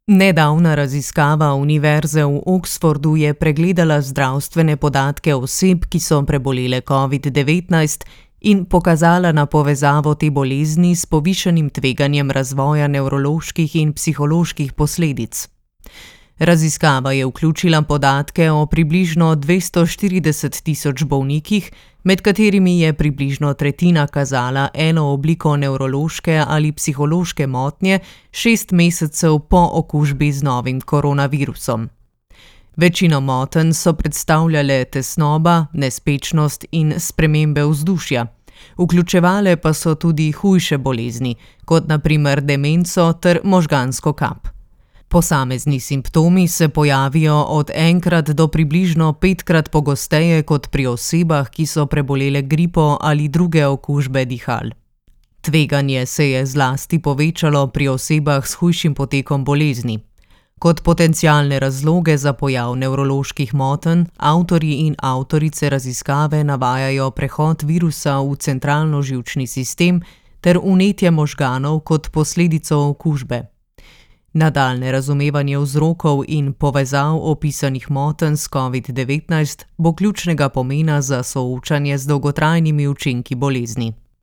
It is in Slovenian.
Nedavna raziskava Univerze v Oxfordu je pregledala zdravstvene podatke oseb, ki so prebolele COVID-19 in pokazala na povezavo te bolezni s povišanim tveganjem razvoja nevroloških in psiholoških posledic. Raziskava je vključila podatke o približno 240.000 bolnikih, med katerimi je približno tretjina kazala eno obliko nevrološke ali psihološke motnje 6 mesecev po okužbi z novim koronavirusom. Večino motenj so predstavljale tesnoba, nespečnost in spremembe vzdušja. Vključevale pa so tudi hujše bolezni, kot na primer demenco ter možgansko kap. Posamezni simptomi se pojavijo od enkrat do približno 5krat pogosteje kot pri osebah, ki so prebolele gripo ali druge okužbe dihal. Tveganje se je zlasti povečalo pri osebah s hujšim potekom bolezni. Kot potencialne razloge za pojav nevroloških motenj avtorji in avtorice raziskave navajajo prehod virusa v centralno-živčni sistem ter vnetje možganov kot posledico okužbe. Nadaljnje razumevanje vzrokov in povezav opisanih motenj s COVID-19 bo ključnega pomena za soočanje z dolgotrajnimi učinki bolezni.